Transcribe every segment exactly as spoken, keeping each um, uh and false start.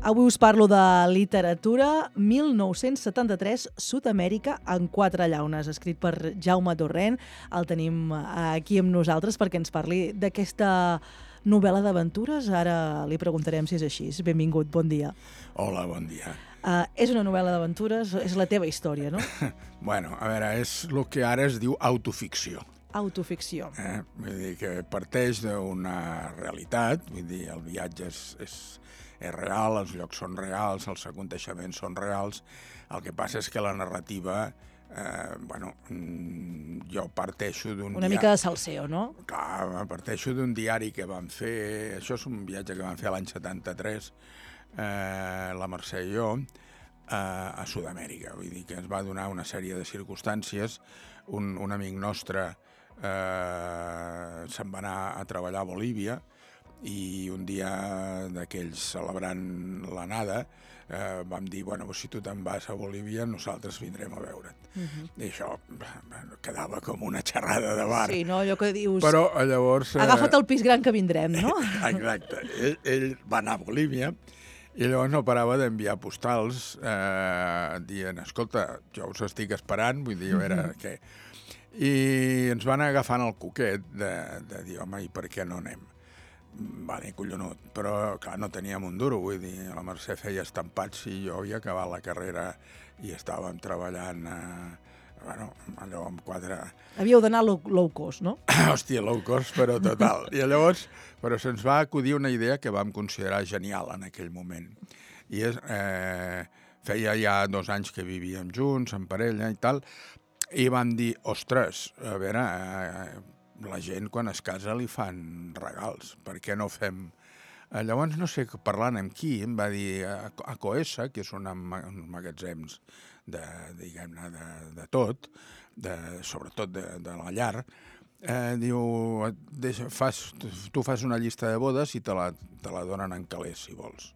Avui us parlo de literatura, mil nou-cents setanta-tres, Sud-amèrica en quatre llaunes, escrit per Jaume Torrent. El tenim aquí amb nosaltres perquè ens parli d'aquesta novel·la d'aventures. Ara li preguntarem si és així. Benvingut, bon dia. Hola, bon dia. Uh, és una novel·la d'aventures, és la teva història, no? Bueno, a veure, és el que ara es diu autoficció. Autoficció. Eh? Vull dir que parteix d'una realitat, vull dir, el viatge és, és, és real, els llocs són reals, els aconteixements són reals. El que passa és que la narrativa, eh, bueno, jo parteixo d'un... Una mica de salseo, no? Clar, parteixo d'un diari que vam fer, això és un viatge que vam fer l'any setanta-tres, eh, la Mercè i jo, eh, a Sud-amèrica. Vull dir que ens va donar una sèrie de circumstàncies. Un, un amic nostre eh, se'n va anar a treballar a Bolívia i un dia d'aquells celebrant l'anada eh, vam dir, bueno, si tu te'n vas a Bolívia nosaltres vindrem a veure't. Uh-huh. I això bueno, quedava com una xerrada de bar. Sí, no? Allò que dius... Però llavors... Eh... Agafa't el pis gran que vindrem, no? Exacte. Ell, ell va anar a Bolívia i llavors no parava d'enviar postals eh, dient, escolta, jo us estic esperant, vull dir, a veure uh-huh. què... I ens van agafant el coquet de, de dir, home, i per què no anem? Vale, collonut, però clar, no teníem un duro, vull dir, la Mercè feia estampats i jo havia acabat la carrera i estàvem treballant, eh, bueno, allò amb quatre... Havíeu d'anar low, low cost, no? Hòstia, low cost, però total. I llavors, però se'ns va acudir una idea que vam considerar genial en aquell moment. I és, eh, feia ja dos anys que vivíem junts, en parella i tal, i vam dir, ostres, a veure, eh, la gent quan es casa li fan regals, per què no fem... Eh, llavors, no sé, parlant amb qui, em va dir a, a Coesa, que és un magatzems de, diguem-ne, de, de tot, de, sobretot de, de la llar, eh, diu, deixa, fas, tu fas una llista de bodes i te la, te la donen en calés, si vols.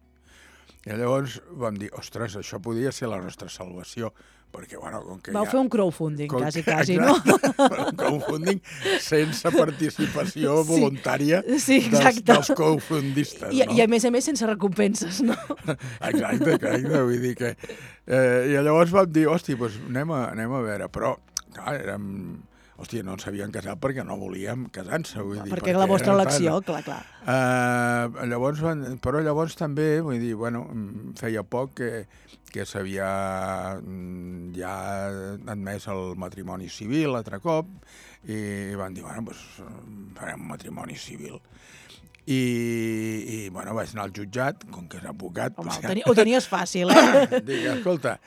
I llavors vam dir, ostres, això podria ser la nostra salvació, perquè, bueno, com que Vau ja... fer un crowdfunding, com quasi, que, quasi, no? Un crowdfunding sense participació sí. voluntària sí, dels, dels crowdfundistes, I, no? I a més a més sense recompenses, no? Exacte, exacte, vull dir que... Eh, I llavors vam dir, hòstia, doncs anem a, anem a veure, però, clar, érem... Hòstia, no ens havien casat perquè no volíem casar-se, vull dir... Perquè, perquè la vostra elecció, tan... clar, clar. Uh, llavors, però llavors també, vull dir, bueno, feia poc que, que s'havia ja admès el matrimoni civil l'altre cop i van dir, bueno, doncs farem un matrimoni civil. I, i bueno, vaig anar al jutjat, com que és advocat... Home, doncs, ho, teni, ho tenies fàcil, eh? Dic, escolta,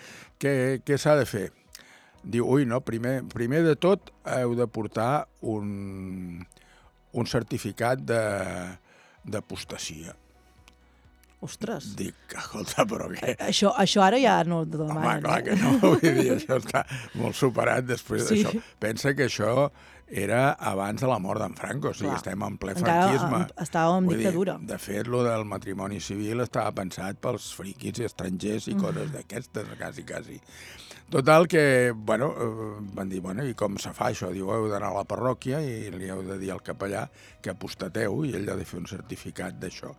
què, què s'ha de fer? Diu, ui, no, primer, primer de tot heu de portar un, un certificat de, d'apostasia. Ostres. Dic, escolta, però què? Això, això ara ja no ho demanen. Home, clar eh? que no, vull dir, això està molt superat després sí. d'això. Pensa que això era abans de la mort d'en Franco, o sigui, clar. Estem en ple franquisme. Encara estàvem en dictadura. Dir, de fet, lo del matrimoni civil estava pensat pels friquis estrangers i mm. coses d'aquestes, quasi, quasi. Total que, bueno, van dir, bueno, i com se fa això? Diu, heu d'anar a la parròquia i li heu de dir al capellà que apostateu i ell ha de fer un certificat d'això.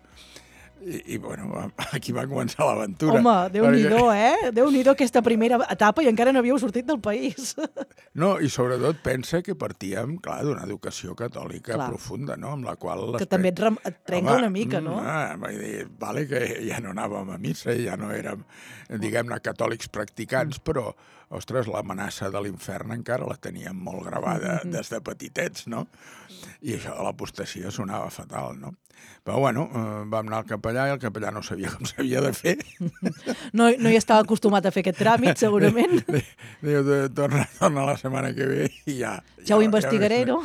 I, i bueno, aquí va començar l'aventura. Home, Déu-n'hi-do, perquè... eh? Déu-n'hi-do aquesta primera etapa i encara no havíeu sortit del país. No, i sobretot pensa que partíem, clar, d'una educació catòlica clar. profunda, no?, amb la qual... Que també et, rem... et trenca Home, una mica, no? Ah, vull dir, vale que ja no anàvem a missa, ja no érem, diguem-ne, catòlics practicants, mm. però, ostres, l'amenaça de l'infern encara la teníem molt gravada mm-hmm. des de petitets, no? I això de l'apostasia sonava fatal, no? Però, bueno, eh, vam anar al capellà i el capellà no sabia com s'havia de fer. No, no hi estava acostumat a fer aquest tràmit, segurament. Diu, torna, torna la setmana que ve i ja... Ja, ja ho investigaré, ja, no?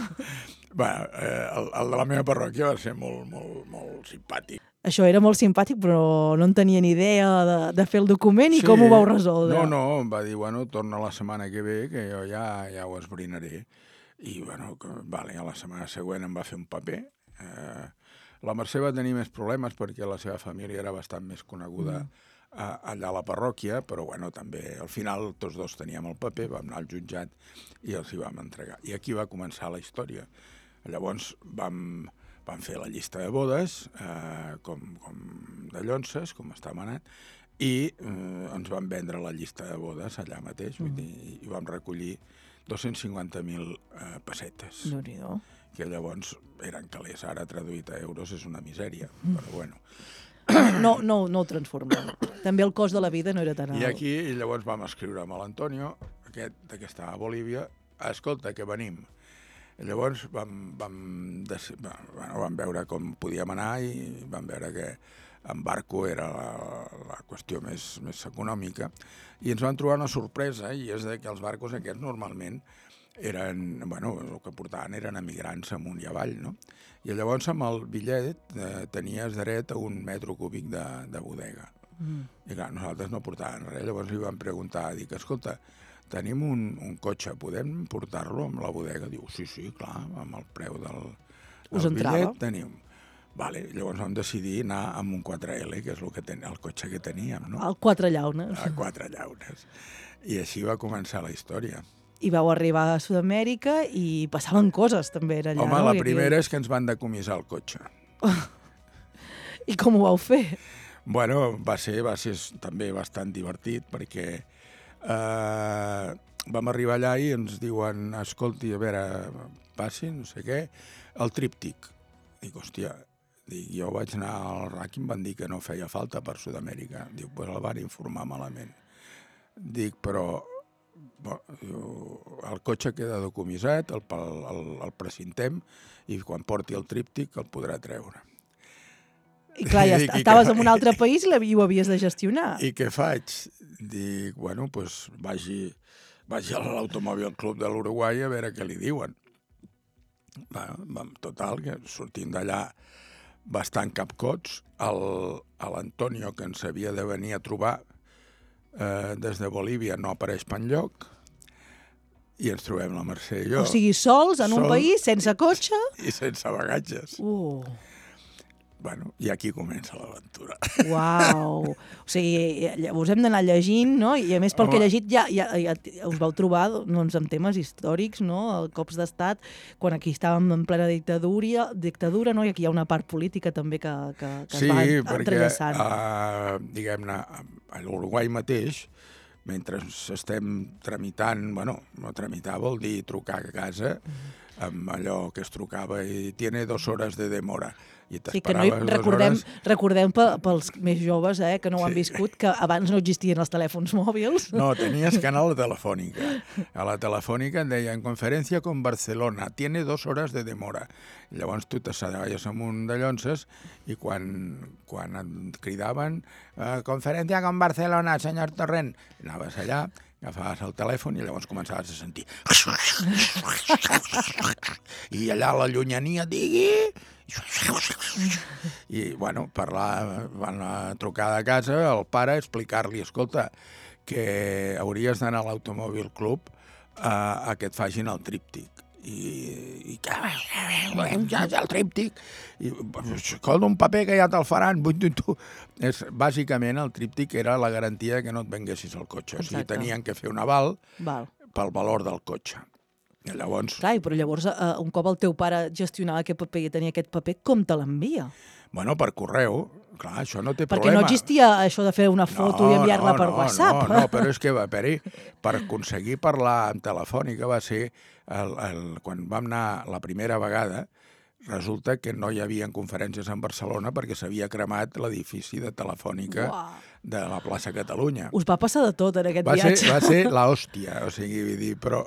Bueno, eh, el, el de la meva parròquia va ser molt, molt, molt simpàtic. Això era molt simpàtic, però no en tenia ni idea de, de fer el document i sí, com ho vau resoldre. No, no, em va dir, bueno, torna la setmana que ve, que jo ja, ja ho esbrinaré. I, bueno, que, vale, a la setmana següent em va fer un paper. Eh, la Mercè va tenir més problemes perquè la seva família era bastant més coneguda mm. a, allà a la parròquia, però, bueno, també al final tots dos teníem el paper, vam anar al jutjat i els hi vam entregar. I aquí va començar la història. Llavors vam... Vam fer la llista de bodes, eh, com, com de llonces, com està manat, i eh, ens van vendre la llista de bodes allà mateix, vull dir, i vam recollir dos-cents cinquanta mil eh, pessetes. Déu-n'hi-do. Que llavors eren calés, ara traduït a euros és una misèria, però bueno. No, no, no ho transformem. També el cost de la vida no era tan alt. I aquí i llavors vam escriure amb l'Antonio, aquest que estava a Bolívia, escolta, que venim. I llavors vam, vam, bueno, vam veure com podíem anar i vam veure que en barco era la, la qüestió més, més econòmica, i ens vam trobar una sorpresa, i és que els barcos aquests normalment eren, bueno, el que portaven eren emigrants amunt i avall, no? I llavors amb el bitllet eh, tenies dret a un metro cúbic de, de bodega. Mm. I clar, nosaltres no portàvem res, llavors li vam preguntar, dic, escolta, tenim un, un cotxe, podem portar-lo amb la bodega? Diu, sí, sí, clar, amb el preu del, del bitllet tenim. Vale, llavors vam decidir anar amb un quatre L, que és el, que ten, el cotxe que teníem, no? El quatre llaunes. El quatre llaunes. I així va començar la història. I vau arribar a Sud-amèrica i passaven coses també allà. Home, no? la primera és que ens van decomissar el cotxe. I com ho vau fer? Bueno, va ser, va ser també bastant divertit perquè eh, vam arribar allà i ens diuen, escolti, a veure, passi, no sé què, el tríptic. Dic, hòstia, dic, jo vaig anar al R A C i em van dir que no feia falta per Sud-amèrica. Dic, pues el van informar malament. Dic, però bo, el cotxe queda decomissat, el, el, el precintem i quan porti el tríptic el podrà treure. I clar, ja Dic, estaves i en un altre país i ho havies de gestionar. I què faig? Dic, bueno, doncs pues vagi, vagi a l'Automòbil Club de l'Uruguai a veure què li diuen. Bueno, total, que sortint d'allà bastant capcots, l'Antonio, que ens havia de venir a trobar eh, des de Bolívia, no apareix per enlloc, i ens trobem la Mercè i jo. O sigui, sols, en un país, sense cotxe... I sense bagatges. Uh. Bueno, i aquí comença l'aventura. Uau! O sigui, llavors hem d'anar llegint, no? I a més, pel Home. que he llegit, ja, ja, ja us vau trobar doncs, amb temes històrics, no? Cops d'estat, quan aquí estàvem en plena dictadura, dictadura, no? I aquí hi ha una part política també que, que, que sí, es va Sí, entrellaçant. perquè, uh, diguem-ne, a l'Uruguai mateix, mentre estem tramitant, bueno, no tramitar vol dir trucar a casa, amb allò que es trucava i tiene dos hores de demora. I sí, que no hi, recordem, hores... recordem pels més joves eh, que no ho han viscut, que abans no existien els telèfons mòbils. No, tenies que anar a la telefònica. A la telefònica et deien conferència con Barcelona, tiene dos hores de demora. I llavors tu t'assedaves amb un de llonces i quan, quan et cridaven eh, conferència con Barcelona, senyor Torrent, anaves allà, agafaves el telèfon i llavors començaves a sentir i allà a la llunyania digui i bueno, parlar, van a trucar de casa al pare, explicar-li, escolta, que hauries d'anar a l'Automòbil Club a, a que et facin el tríptic. I, i que volem ja el tríptic i escolta, un paper que ja te'l faran. És, bàsicament el tríptic era la garantia que no et venguessis el cotxe. Exacte. O sigui, tenien que fer un aval Val. pel valor del cotxe. I llavors... Clar, però llavors uh, un cop el teu pare gestionava aquest paper i tenia aquest paper, com te l'envia? Bueno, per correu. Clar, això no té Perquè problema. Perquè no existia això de fer una foto no, i enviar-la no, per no, WhatsApp. No, no, però és que va haver-hi, per aconseguir parlar en telefònica va ser, el, el, quan vam anar la primera vegada, resulta que no hi havia conferències en Barcelona perquè s'havia cremat l'edifici de Telefònica Uau. de la plaça Catalunya. Us va passar de tot en aquest va viatge. Ser, va ser l'hòstia, o sigui, vull dir, però...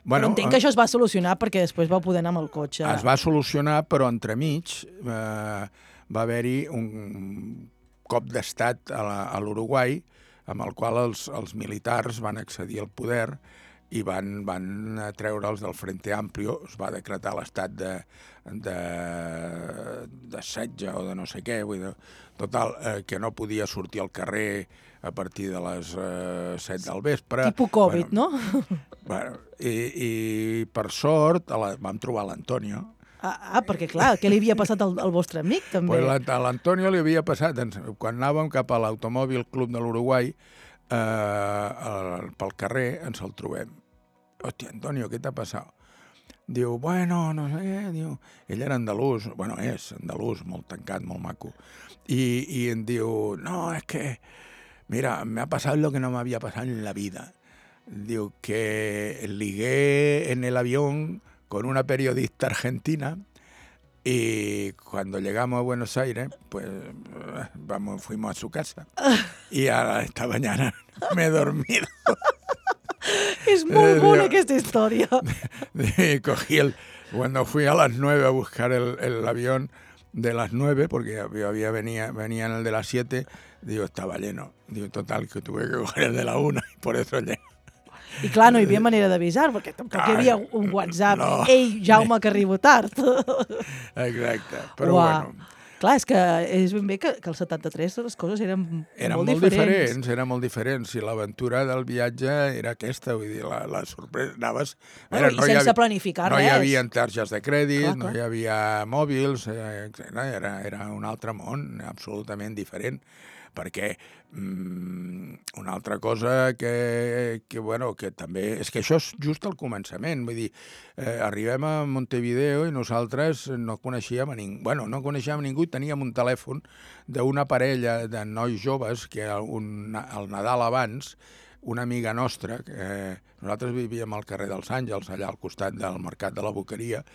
Bueno, però entenc que això es va solucionar perquè després vau poder anar amb el cotxe. Es va solucionar, però entremig eh, va haver-hi un cop d'estat a l'Uruguai amb el qual els, els militars van accedir al poder i van, van treure'ls del Frente Amplio, es va decretar l'estat de, de, de setge o de no sé què, vull dir, total, eh, que no podia sortir al carrer a partir de les eh, set del vespre. Tipus Covid, bueno, no? Bueno, i, i per sort la, vam trobar l'Antonio. Ah, ah, perquè clar, què li havia passat al, al vostre amic, també? Pues a l'Antonio li havia passat, quan anàvem cap a l'Automòbil Club de l'Uruguai, eh, el, pel carrer ens el trobem. Hòstia, Antonio, què t'ha passat? diu, bueno, no sé, diu... Ell era andalús, bueno, és andalús, molt tancat, molt maco. Y, y em diu, no, es que, mira, me ha pasado lo que no me había pasado en la vida. Diu que ligué en el avión con una periodista argentina y cuando llegamos a Buenos Aires, pues vamos, fuimos a su casa y a esta mañana me he dormido. És molt bona aquesta història. Cogí el... Cuando fui a las nueve a buscar el, el avión de las nueve, porque yo había venía, venía en el de las siete, digo, estaba lleno. Digo, total, que tuve que coger el de la una y por eso llegué. I clar, no hi havia manera d'avisar, perquè tampoc hi havia un WhatsApp. No. Ei, Jaume, que arribo tard. Exacte, però Uà. bueno... Clar, és que és ben bé que, que el setanta-tres les coses eren, eren molt, molt diferents. diferents. Eren molt diferents, i l'aventura del viatge era aquesta, vull dir, la, la sorpresa... Anaves... Bueno, era, I no sense havia, planificar no res. No hi havia targes de crèdit, clar, clar. no hi havia mòbils, eh, era, era un altre món, absolutament diferent. Perquè mm, una altra cosa que, que, bueno, que també... És que això és just al començament, vull dir, eh, arribem a Montevideo i nosaltres no coneixíem a ningú, bueno, no coneixíem a ningú i teníem un telèfon d'una parella de nois joves que un, el Nadal abans, una amiga nostra, que eh, nosaltres vivíem al carrer dels Àngels, allà al costat del Mercat de la Boqueria,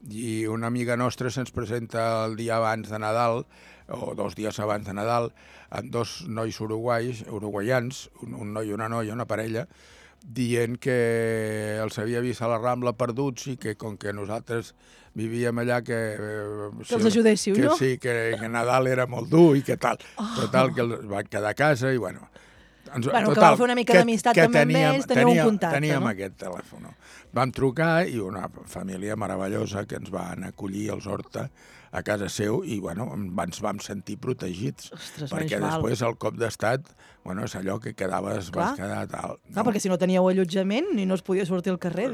i una amiga nostra se'ns presenta el dia abans de Nadal, o dos dies abans de Nadal, amb dos nois uruguais, uruguaians, un, un noi i una noia, una parella, dient que els havia vist a la Rambla perduts i que com que nosaltres vivíem allà que... Eh, que els ajudéssiu, que, no? Sí, que, que Nadal era molt dur i que tal. Oh. Total, que els van quedar a casa i bueno... Ens, bueno, total, que vau fer una mica d'amistat també amb ells, teniu teníem, un contacte, teníem no? aquest telèfon. Vam trucar i una família meravellosa que ens van acollir als Horta a casa seu i bueno, ens vam sentir protegits. Ostres, perquè després el cop d'estat, bueno, és allò que quedaves, clar. vas quedar tal. No? Clar, perquè si no teníeu allotjament ni no es podia sortir al carrer.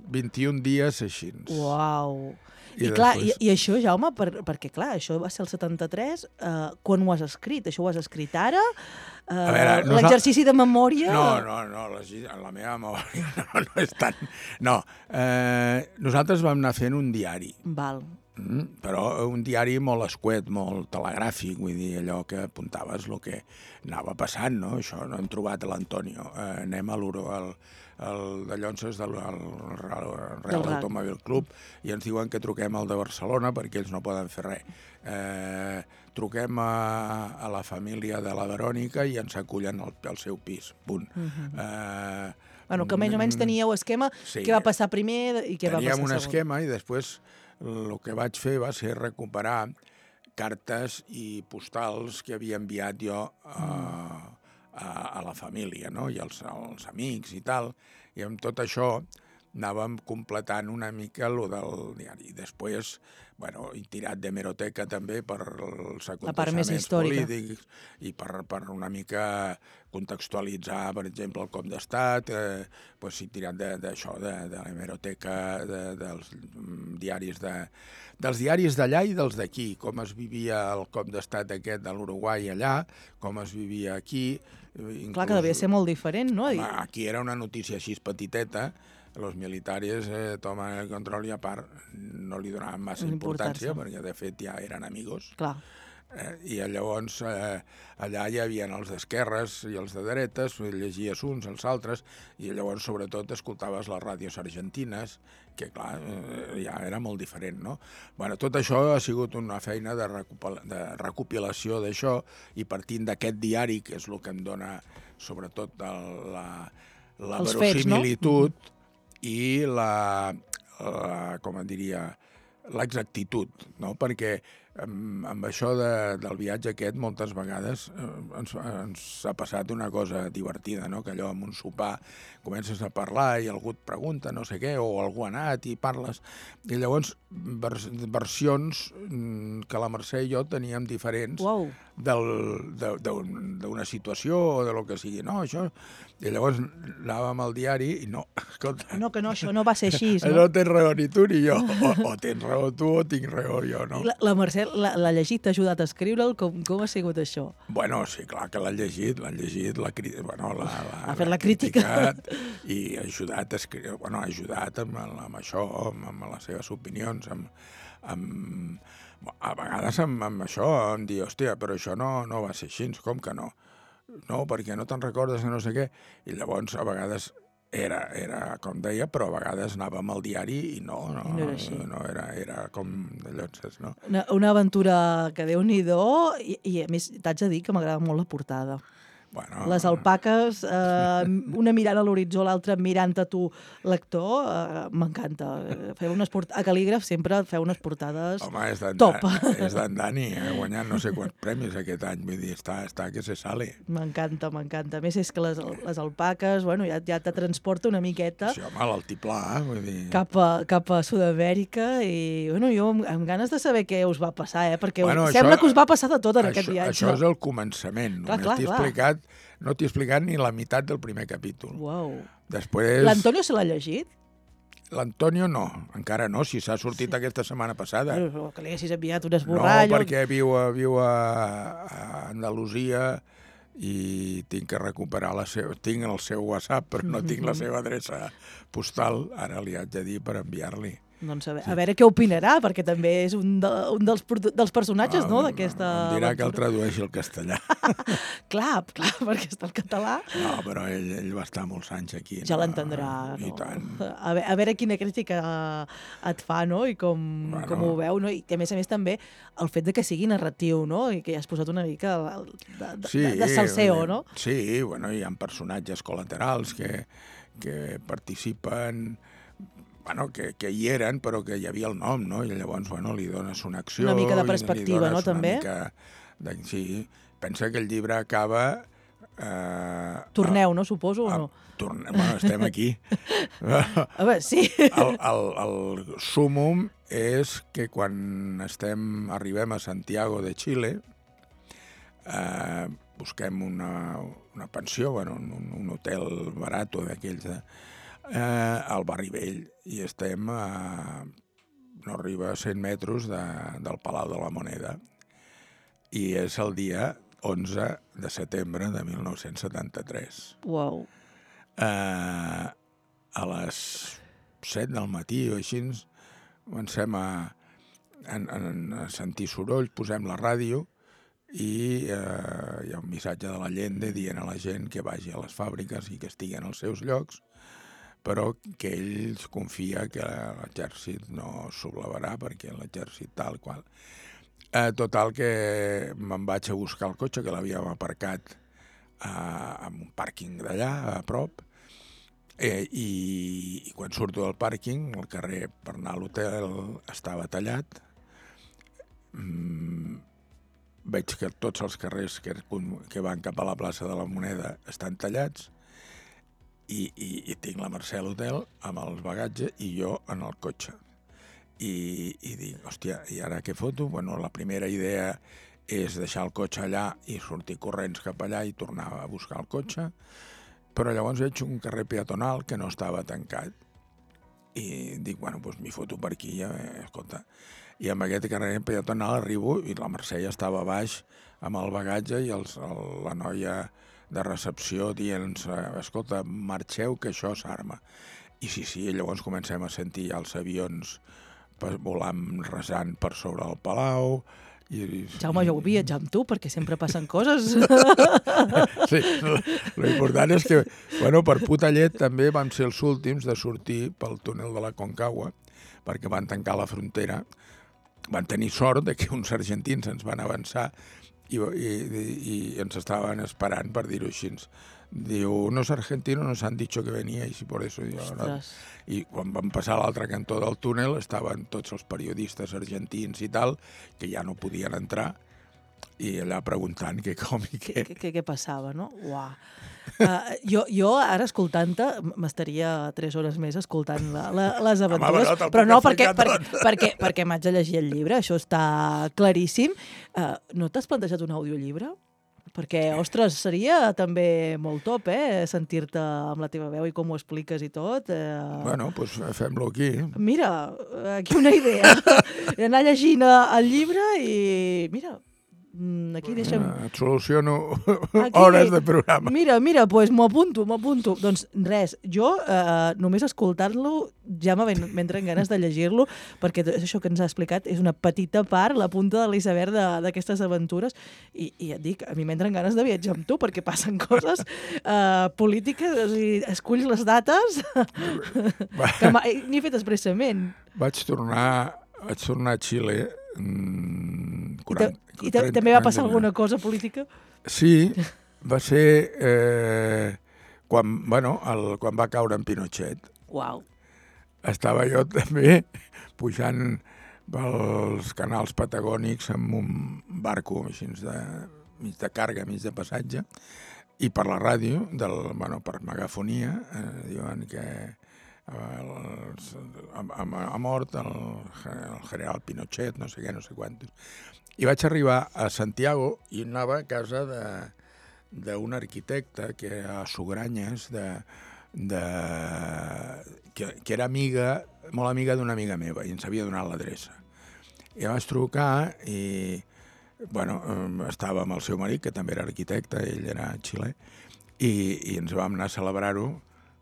vint-i-un dies així. Uau! I, I, clar, després... i, i això, Jaume, per, perquè clar, això va ser el setanta-tres, eh, quan ho has escrit? Això ho has escrit ara? Eh, L'exercici de memòria? No, no, no, la, la meva memòria no, no és tant... No, eh, nosaltres vam anar fent un diari. Val. Mm, però un diari molt escuet, molt telegràfic, vull dir, allò que apuntaves el que anava passant, no? Això, no hem trobat l'Antonio. Eh, anem a l'Uro, al... el de Llonses del Real Automòbil Club i ens diuen que truquem al de Barcelona perquè ells no poden fer res. Eh, truquem a, a la família de la Verònica i ens acullen al, al seu pis, punt. Uh -huh. eh, bueno, que més o menys teníeu esquema, sí, què va passar primer i què va passar segon. Teníem un esquema i després el que vaig fer va ser recuperar cartes i postals que havia enviat jo a... Mm. A, a la família, no? I als, als amics i tal, i amb tot això anàvem completant una mica el del diari. Després, bueno, he tirat d'hemeroteca també per els aconteixements polítics i per, per una mica contextualitzar, per exemple, el cop d'estat, eh, doncs he tirat d'això, de, de, de l'hemeroteca, de, dels diaris de, dels diaris d'allà i dels d'aquí, com es vivia el cop d'estat aquest de l'Uruguai allà, com es vivia aquí. Inclús, clar, que devia ser molt diferent, no? Home, aquí era una notícia així petiteta, los militares eh, toman el control i a part no li donaven massa importància, perquè de fet ja eren amigos. Clar. Eh, I llavors eh, allà hi havia els d'esquerres i els de dretes, llegies uns, els altres, i llavors sobretot escoltaves les ràdios argentines, que clar, eh, ja era molt diferent, no? Bueno, tot això ha sigut una feina de, recopil de recopilació d'això, i partint d'aquest diari, que és el que em dona sobretot el, la, la verosimilitud, fets, no? I la, la com en diria, l'exactitud, no? Perquè amb, amb això de, del viatge aquest moltes vegades eh, ens, ens ha passat una cosa divertida, no? Que allò amb un sopar comences a parlar i algú et pregunta no sé què, o algú ha anat i parles, i llavors vers, versions que la Mercè i jo teníem diferents. Wow. D'una situació o de lo que sigui, no, això... I llavors anàvem al diari i no, escolta... No, que no, això no va ser així, no? No tens raó ni tu ni jo, o, o tens raó tu o tinc raó jo, no? La, la Mercè què l'ha llegit, t'ha ajudat a escriure'l? Com, com ha sigut això? Bueno, sí, clar que l'ha llegit, l'ha llegit, l'ha bueno, la, la, ha fet la crítica. I ha ajudat a escriure, bueno, ha ajudat amb, amb això, amb, amb les seves opinions, amb, amb, a vegades amb, amb això, em dir, hòstia, però això no, no va ser així, com que no? No, perquè no te'n recordes de no sé què. I llavors, a vegades, era, era com deia, però a vegades anàvem al diari i no, no, I no era així. No, era, era com d'allò, no? Una, una aventura que Déu-n'hi-do, i, i a més t'haig de dir que m'agrada molt la portada. Bueno, les alpaques, eh, una mirant a l'horitzó, l'altra mirant a tu, lector, eh, m'encanta. Feu unes port... A Cal·lígraf sempre feu unes portades home, és top. És d'en Dani, ha guanyat no sé quants premis aquest any, vull dir, està, està que se sale. M'encanta, m'encanta. A més, és que les, les alpaques, bueno, ja, ja te transporta una miqueta. Sí, home, l'altiplà, vull dir... Cap a, cap a Sud-amèrica i, bueno, jo amb, amb ganes de saber què us va passar, eh? Perquè bueno, sembla això, que us va passar de tot en això, aquest viatge. Això és el començament. Clar, clar, t'he clar. explicat, no t'he explicat ni la meitat del primer capítol. Uau. Després... L'Antonio se l'ha llegit? L'Antonio no, encara no, si s'ha sortit sí. aquesta setmana passada. Però que li haguessis enviat un esborrall... No, perquè viu a, viu a, a Andalusia i tinc que recuperar la seva... Tinc el seu WhatsApp, però no tinc la seva adreça postal. Ara li haig de dir per enviar-li. Doncs a veure, a veure què opinarà, perquè també és un, de, un dels, dels personatges, no?, d'aquesta... Em dirà que el tradueixi al castellà. Clar, clar, perquè està el català. No, però ell, ell va estar molts anys aquí. Ja no? l'entendrà. I No? tant. A, veure, a veure quina crítica et fa, no?, i com, bueno. com ho veu, no? I a més a més també el fet de que sigui narratiu, no?, i que ja has posat una mica de, de, sí, de, de salseo, no? Sí, bueno, hi ha personatges col·laterals que, que participen... Bueno, que, que hi eren, però que hi havia el nom, no? I llavors, bueno, li dones una acció... Una mica de perspectiva, no, també? De, sí, pensa que el llibre acaba... Eh, Torneu, no, suposo, a, o no? Torne, bueno, estem aquí. A veure, sí. El, el, el súmum és que quan estem, arribem a Santiago de Xile, eh, busquem una, una pensió, bueno, un, un hotel barat d'aquells... De, Eh, al barri vell, i estem a no arriba a cent metres de, del Palau de la Moneda, i és el dia onze de setembre de mil nou-cents setanta-tres. Uau. Eh, a les set del matí o així comencem a, a, a sentir soroll, posem la ràdio i eh, hi ha un missatge de l'Allende dient a la gent que vagi a les fàbriques i que estigui en els seus llocs, però que ell confia que l'exèrcit no sublevarà perquè l'exèrcit tal qual. Eh, total que me'n vaig a buscar el cotxe, que l'havíem aparcat eh, en un pàrquing d'allà, a prop, eh, i, i quan surto del pàrquing, el carrer per anar a l'hotel estava tallat. Mm, veig que tots els carrers que, que van cap a la plaça de la Moneda estan tallats, I, i, i tinc la Mercè a l'hotel amb els bagatges i jo en el cotxe. I, i dic, hòstia, i ara què foto? Bueno, la primera idea és deixar el cotxe allà i sortir corrents cap allà i tornar a buscar el cotxe, però llavors veig un carrer peatonal que no estava tancat. I dic, bueno, doncs m'hi foto per aquí, ja, escolta. I amb aquest carrer peatonal arribo i la Mercè ja estava a baix amb el bagatge i els, el, la noia de recepció dient, escolta, marxeu que això s'arma. I sí, sí, llavors comencem a sentir els avions volant, resant per sobre el palau. I... Jaume, jo vull viatjar amb tu perquè sempre passen coses. Sí, l'important és que, bueno, per puta llet també vam ser els últims de sortir pel túnel de la Concagua perquè van tancar la frontera. Van tenir sort de que uns argentins ens van avançar I, i, i ens estaven esperant, per dir-ho així. Diu, unos argentinos nos han dicho que veníais y por eso... Diu, no. I quan vam passar a l'altre cantó del túnel estaven tots els periodistes argentins i tal, que ja no podien entrar, i allà preguntant què com i què. Què, què, què passava, no? Uau. Uh, jo, jo ara escoltant-te m'estaria tres hores més escoltant la, la, les aventures, Home, però no perquè, perquè, perquè, perquè m'haig de llegir el llibre, això està claríssim. Uh, no t'has plantejat un audiollibre? perquè, ostres, seria també molt top, eh? Sentir-te amb la teva veu i com ho expliques i tot. Eh... Bueno, doncs fem-lo aquí. Mira, aquí una idea. Anar llegint el llibre i, mira, aquí deixem... Et soluciono aquí, hores de programa. Mira, mira, doncs pues m'ho apunto, m'ho apunto. Doncs res, jo eh, només escoltar-lo ja m'entren ganes de llegir-lo, perquè això que ens ha explicat és una petita part, la punta de l'iceberg d'aquestes aventures, i, i et dic, a mi m'entren ganes de viatjar amb tu, perquè passen coses eh, polítiques, o sigui, esculls les dates, que n'hi he fet expressament. Vaig tornar, vaig tornar a Xile quaranta, I, te, i també va passar alguna cosa política? Sí, va ser eh, quan, bueno, el, quan va caure en Pinochet. Uau. Estava jo també pujant pels canals patagònics amb un barco així de, mig de càrrega, mig de passatge, i per la ràdio, del, bueno, per megafonia, eh, diuen que el, ha, ha mort el, el general Pinochet, no sé què, no sé quantos. I vaig arribar a Santiago i anava a casa d'un arquitecte que a Sugranyes, de, de, que, que era amiga, molt amiga d'una amiga meva, i ens havia donat l'adreça. I vaig trucar i, bueno, estava amb el seu marit, que també era arquitecte, ell era xilè, i, i ens vam anar a celebrar-ho.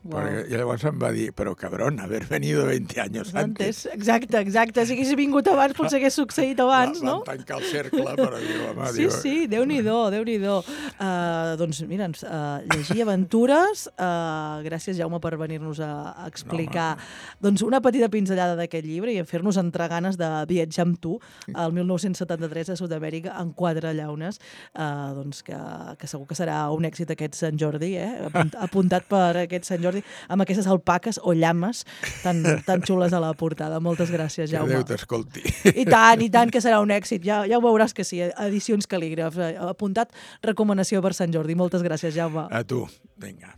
Wow. Perquè, i llavors em va dir, però cabrón, haver venido veinte años antes. Exacte, exacte. Si hagués vingut abans, potser hagués succeït abans, va, no? Vam tancar el cercle, però diu, home... Sí, diu... sí, Déu-n'hi-do, Déu-n'hi-do. Uh, doncs mira, uh, llegir aventures, uh, gràcies, Jaume, per venir-nos a, a explicar no, doncs una petita pinzellada d'aquest llibre i a fer-nos entrar ganes de viatjar amb tu al mil nou-cents setanta-tres a Sud-amèrica en quatre llaunes, uh, doncs que, que segur que serà un èxit aquest Sant Jordi, eh? Apunt, apuntat per aquest Sant Jordi, amb aquestes alpaques o llames tan, tan xules a la portada. Moltes gràcies, Jaume. Que Déu t'escolti. I tant, i tant, que serà un èxit. Ja, ja ho veuràs que sí. Edicions Cal·lígraf. Apuntat recomanació per Sant Jordi. Moltes gràcies, Jaume. A tu. Vinga.